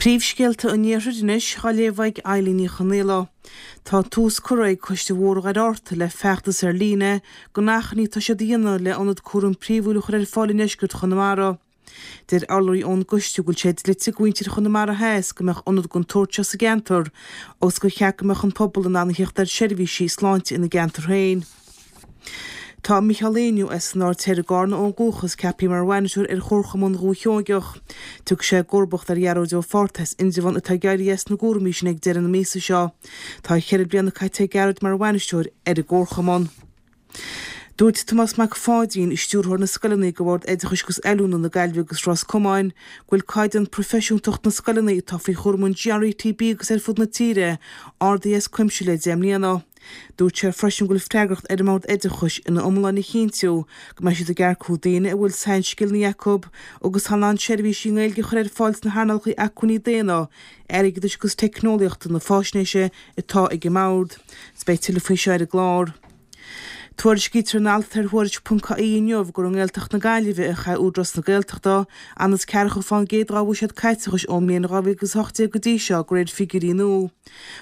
Príomhscéalta an Iarthair anois á léamh ag Eilín Ní Chonaola. Tá tús curtha ag Coiste Bhóthar Dhoire Fhatharta le feachtas ar líne don achainí atá siad a dhéanamh le ionad cúraim príomhúil a chur ar fáil i ndeisceart Chonamara. Deir urlabhraí ón gcoiste go bhfuil sé dlite do mhuintir Chonamara Theas go mbeadh ionad den tsórt seo sa gceantar agus gur cheart go mbeadh an pobal in ann a theacht ar sheirbhísí sláinte ina gceantar féin. Tá Micheál Éinniú as an Aird Thoir i gCarna ó dhúchas ceaptha mar bhainisteoir ar Chomharchumann Dhúiche Sheoigeach. Tiocfaidh sé i gcomharbacht ar Ghearóid Ó Fátharta as Indreabhán atá ag éirí as na gcúraimí sin ag deireadh na míosa seo. Tá cheithre bliana caite ag Gearóid mar bhainisteoir ar an gComharchumann. Dúirt Tomás Mac Pháidín, Stiúrthóir na Scoileanna do Bhord Oideachais agus Oiliúna na Gaillimhe agus Ros Comáin, go bhfuil caighdeán proifisiúntacht na scoileanna atá faoi chúram an GRETB agus ar fud na tíre ardaithe as cuimse le 10 mbliana. Dúirt sé freisin go bhfuil freagracht ar an mBord Oideachais ina iomláine a chinntiú go mbeidh siad ag earcú daoine a bhfuil sainscileanna acu agus atá in ann seirbhísí i nGaeilge a chur ar fáil sna hearnálacha acmhainní daonna, airgeadais agus teicneolaíochta na faisnéise atá ag an mBord. Beidh tuilleadh faoi seo ar an gclár. Tuairiscítear in alt ar Thuairisc.ie inniu gur i nGaeltacht na Gaillimhe a chaith Údarás na Gaeltachta anuas ceathracha fán gcéad dá bhuiséad caiteachais ón mbliain 2018 go dtí seo de réir figiúirí nua.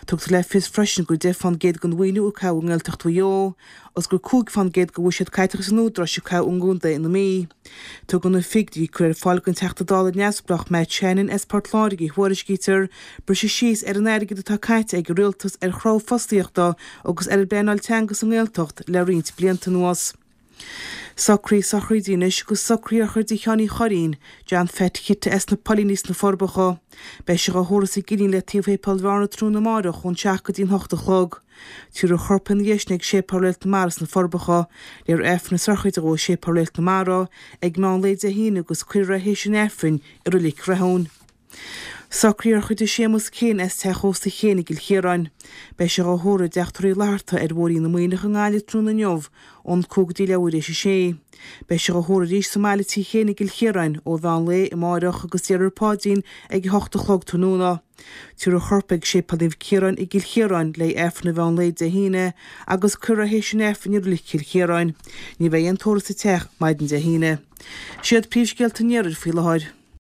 Tugtar le fios freisin gur 10 fán gcéad den mhaoiniú a caitheadh i nGaeltacht Mhaigh Eo agus gur 5 fán gcéad de bhuiséad caiteachais an Údaráis a caitheadh i gContae na Mí. Tugann na figiúirí a cuireadh ar fáil don Teachta Dála neamhspleách Matt Shannon as Port Láirge, a thuairiscítear, briseadh síos ar an airgead atá caite ag an rialtas ar chruthú fostaíochta agus ar an bpleanáil teanga sa nGaeltacht le roinnt blianta anuas. Socruithe sochraide anois agus socruithe sochraide Sheáin Uí Churraoin, John Pheait Chite as na Poilíní sna Forbacha. Beidh sé dhá thórramh sa gCillín le taobh Shéipéal Bhearna tráthnóna amáireach ón 7 go dtí an 8 a chlog. Tabharfar a chorp ina dhiaidh sin ag Séipéal Réalt na Mara sna Forbacha. Léifear Aifreann na sochraide dhó i Séipéal Réalt na Mara ag meán lae Dé hAoine agus cuirfear é théis an Aifrinn i Roilic Rathún. Socruithe sochraide Séamus Keane as Teach Ósta Chéin i gCill Chiaráin. Beidh sé dhá thórramh i dTeach Tórraimh Uí Fhlatharta ar Bhóithrín na Muimhneach i nGaillimh tráthnóna inniu ón 5 go dtí leathuair éis a sé. Beidh sé dhá thórramh arís sa mbaile Tigh Chéin i gCill Chiaráin ó mheán lae amáireach agus déarfar paidrín ag 8 a chlog tráthnóna. Tabharfar a chorp ag Séipéal Naomh Ciarán i gCill Chiaráin le hAifreann an mheán lae Dé hAoine agus cuirfear é théis an Aifrinn i Roilic Chill Chiaráin. Ní bheidh aon tórramh sa teach maidin Dé hAoine. Siad príomhscéalta an Iarthair faoi láthair.